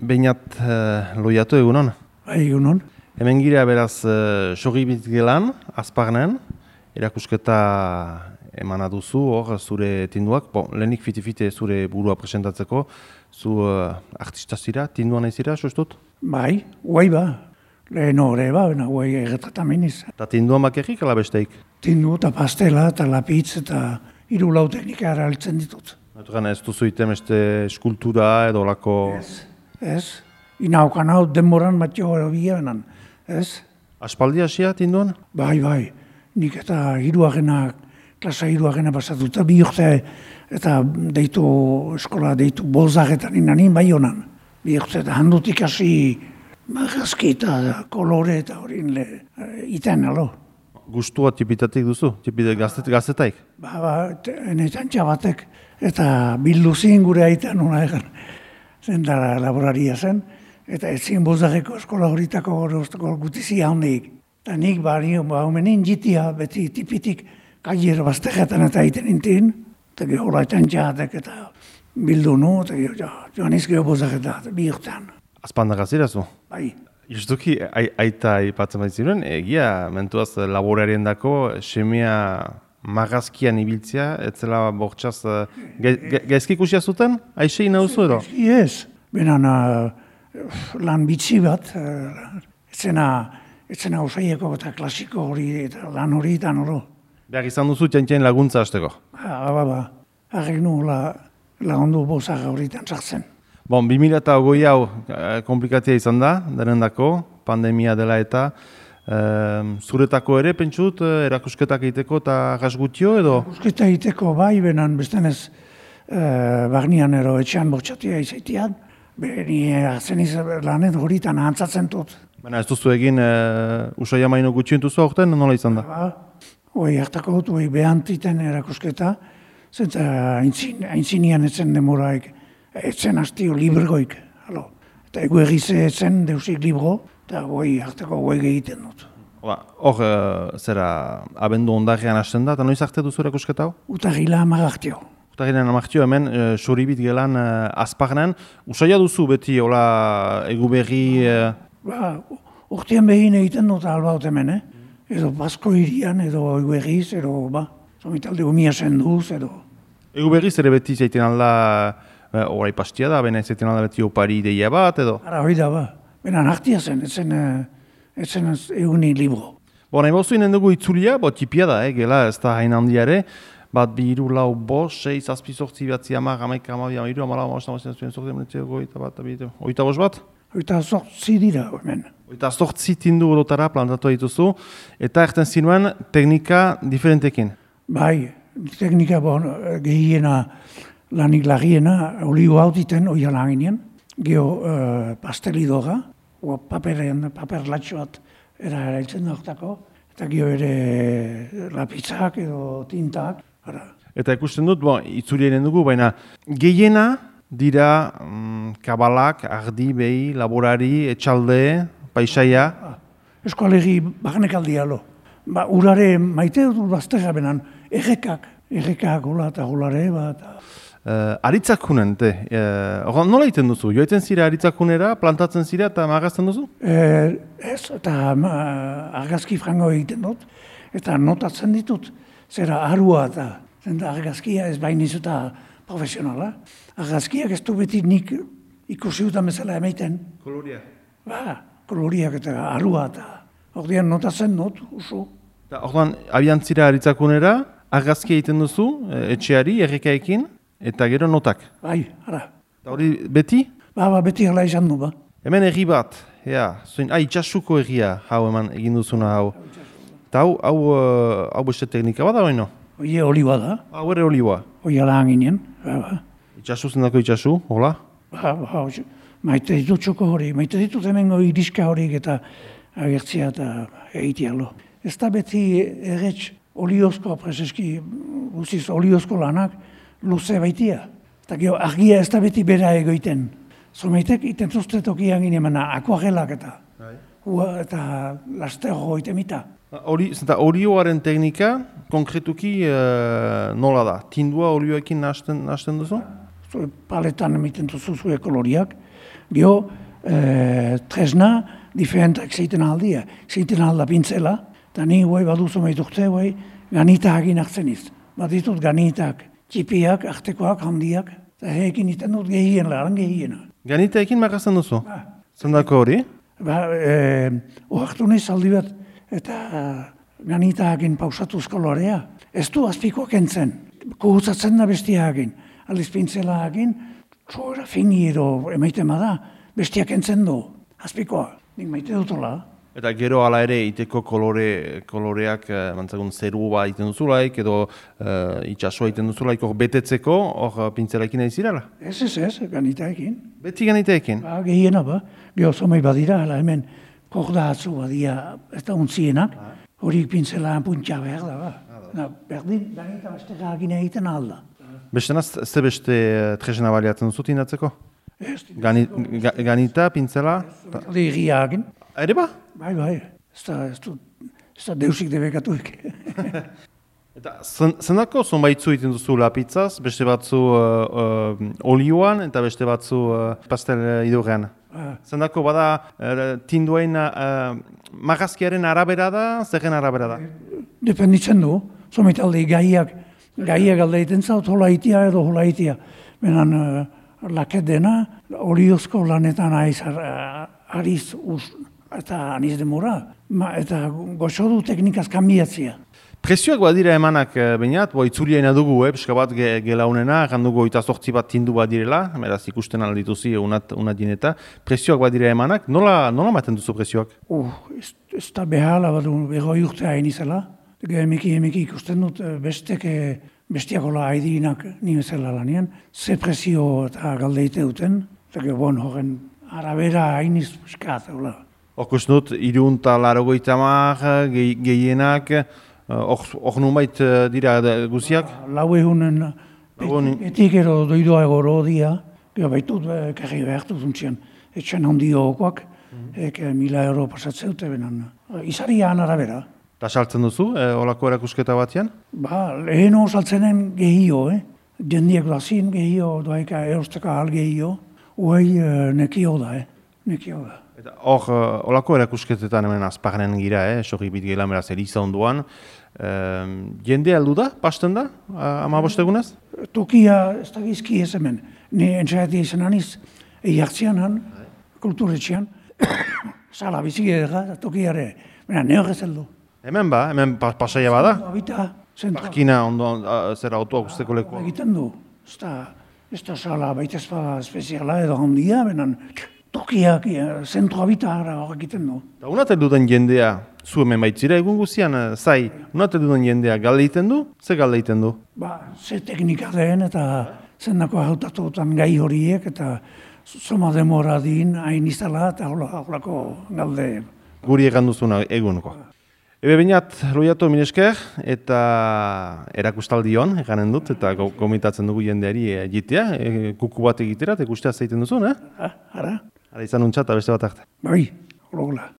Beñat loiatu egunon. Egunon. Hemen gira beraz Soribit gelan, Azparnen, erakusketa emana duzu, hor zure tinduak. Lehenik fiti-fiti zure burua presentatzeko, zu artista zira, tindua nahi zira, sustut? Bai, guai ba. Lehen hori ba, guai erretratameniz. Eta tinduan bakarrik ala besteik? Tindu eta pastela eta lapitz eta hiru lau teknika eraltzen ditut. Naturan ez duzu iten beste eskultura edo lako... Ez. Inaukan hau denboran matio bianan. Ez? Aspaldi hasia tinduan? Bai. Nik eta klasa hiruagena pasatuta bi urte eta eskola deitu bolzagetan inanin bai honan. Bi urte eta handutik hasi marrazki eta kolore eta horin iten alo. Gustua tipitatik duzu? Tipitek gaztetaik? Enetan txabatek eta bilduzin gure aitan hona egan. Zendara laboraria zen, eta etzien bozareko eskola horitako gutizia hondeik. Eta nik homenin jitia beti tipitik kaier baztegetan eta egiten intin, eta gehola etan txabatek eta bildu nu, eta joan izkeo bozareta, bi urtean. Azpandak azirazu? Bai. Justuki, aita ipatzen baitziren, egia, mentuaz laborarien dako, semea magazkian ibiltzea, etzela bortxaz, gaizki ikusia zuten? Aixei nauzu edo? Gaizki ez, benan lan bitzi bat, etzena osaieko eta klasiko hori eta lan hori eta noro. Behar izan duzu txantxain laguntza hasteko? Harrek nu lagundu bozaga horitan sartzen. 2020 hau komplikatia izan da, denendako, pandemia dela eta, zuretako ere, pentsut, erakusketak egiteko eta gasgutio edo? Erakusketa egiteko bai, benan bestenez barnian ero etxean bortxatia izaitean, beni hartzen lanet horitan ahantzatzen dut. Baina ez duzu egin Usai Amaino gutxientuzu aurten, nola izan da? Hoi hartako dut, hoi behantiten erakusketa, zenta aintzinian etzen demoraik, etzen hastio librgoik, eta egu egize etzen deusik libro, eta goi hartako goi egiten dut. Hor, zera, abendu ondarean hasten da, eta noiz arte duzu erakusketa hau? Utagila amarraktio. Utagila amarraktio, hemen Soribit gelan Azparnen. Usaia duzu beti, hola, egu berri... Urtean behin egiten dut albaut hemen, edo Basko irian, edo egu berriz, edo somitalde umia senduz, edo... Egu berriz ere beti zaiten alda, orai pastia da, bena zaiten alda beti opari ideia bat, edo? Ara, hoi da, benan hartia zen, etzen eguni libro. Nahi bozu inen dugu itzulia, tipia da, gela ez da hain handiare, bat bi iru lau bos, 6, zazpi sortzi batzi amar, amaik amabi, amairu, amala, oita bos bat? Oita sortzi dira, hemen. Oita sortzi tindu odotara plantatu dituzu, eta erten zinuen teknika diferentekin? Bai, teknika gehiena lanik lagiena, olio hau diten, oia langinean, geho pastelidora, paper latxo bat erailtzen dautako, eta geho ere lapitzak edo tintak. Eta ikusten dut, itzulien dugu, baina gehiena dira kabalak, ardi, behi, laborari, etxalde, paisaia. Eskualegi barnekaldia lo. Urare maite dut baztega benan, errekak gola eta golare bat. Aritzakunen, nola egiten duzu? Joetzen zira aritzakunera, plantatzen zira eta magazten duzu? Ez, eta argazki frango egiten dut, eta notatzen ditut, zera arua eta argazkia ez bainiz eta profesionala. Argazkiak ez du beti nik ikusi dutan bezala emaiten. Koloria? Koloriak eta arua eta ordean notatzen dut, usu. Ordean, abian zira aritzakunera, argazki egiten duzu, etxeari, errekaekin, eta gero notak? Bai, ara. Eta hori beti? Beti hala izan du, Hemen erri bat, itxasuko erria, hau eman egin duzuna hau. Eta hau beste teknika bat da, hori no? Oie oliba da. Hau ere oliba? Oie lan ginen. Itxasu zendako itxasu, hola? Maite ditut txoko hori, maite ditut hemengo iriska horik eta agertzia eta egitealo. Ez da beti erretz oliozko, prezeski, guziz oliozko lanak, luze baitia. Eta gero, argia ez da beti bera egoiten. Zomeitek iten zuztetokian ginen, akuagelak eta lasterro itemita. Olioaren teknika, konkretuki nola da? Tindua olioekin nahasten duzu? Paletan emiten duzu zure koloriak, Gio, tresna, diferentak zeiten aldia. Zeiten alda pintzela, eta ni guai baduzu maitukte, guai ganita hagin hartzen iz. Bat ditut ganitak, txipiak, artekoak, handiak, eta heekin iten dut gehien, laran gehiena. Ganitaekin makazten duzu? Zendako hori? Oartu nahi zaldi bat, eta ganitaekin pausatuz kolorea. Ez du azpikoak entzen, kuhutzatzen da bestiaekin. Aldiz pintzelaekin, txoera fingi edo emaiten bada, bestiak entzen du, azpikoa. Nik maite dutola. Eta gero hala ere iteko koloreak mantzagun zerua egiten duzulaik edo itxasua egiten duzulaik hor betetzeko hor pintzelaekin nahi zirela? Ez, ganitaekin. Beti ganitaekin? Gehiena geho zomei badira, hala hemen korda atzu badia ez da untzienak, horik pintzelaan puntxa behar da. Berdin, ganita besteka agin egiten alda. Bestenaz, ze beste tresna baliatzen duzut indatzeko? Ganita, pintzela? Legia agin. Ere ba? Bai, ez da deusik debekatuik. Eta zendako zonbaitzu egiten duzu lapitzaz, beste batzu olioan eta beste batzu pastel idurrean? Zendako bada tinduain magazkiaren arabera da, zerren arabera da? Dependitzen du, zometalde gaiak alde egiten zaut, hola itia edo hola itia. Benan laket dena, oliozko lanetan ariz eta aniz demora, eta goxo du teknikaz kanbiatzia. Presioak badira emanak bainat, itzuliaina dugu, pixka bat gelaunena, jandugu 28 bat tindu badirela, beraz ikusten aldituzi unat dineta. Presioak badira emanak, nola maten duzu presioak? Ez da behala bat begoi urte hain izela. Emeki ikusten dut bestiakola haidinak nimezela lanien, ze presio eta galdeite duten, eta horren arabera hainiz piskat, Okus dut, 380 gehienak, hor nunbait dira guziak? Lau egunen, betik ero doidoa egoro dia, baitut karri behartu zuntzian, etxen handio okoak, 1.000 euro pasatzea dute benan. Izarian arabera. Eta saltzen duzu, olako erakusketa batean? Leheno saltzenen gehio, jendiek dazin gehio, doaika erosteko ahal gehio, uai nekio da, nekio da. Eta hor, olako erakusketetan hemen azparnen gira, sorri bitgelan beraz eriza onduan. Jende aldu da, pasten da, 15 egunez? Tokia ez da gizki ez hemen. Ni entzaiti izan aniz, jartzianan, kulturetxean, sala bizik edera, tokiare, nehor ez heldu. Hemen pasaia bada? Parkina ondo, zer autoak usteko lekoa? Egiten du, ez da sala baita espeziala edo handia, benan, tokiak, zentroa bita hor egiten du. Eta unatel duden jendea, zu hemen baitzira egun guzian, zai, unatel duden jendea galde egiten du? Ze galde egiten du? Ze teknika den eta zendako hautatutan gai horiek eta zoma demora din hain izala eta holako galde. Guri egan duzuna egunko. Ebe bainat, loiatu minesker eta erakustaldion eganen dut eta komitatzen dugu jendeari egitea, kuku bat egitera eta ikustea zeiten duzun, Ara izan untxata beste bat arte. Bai, hologola.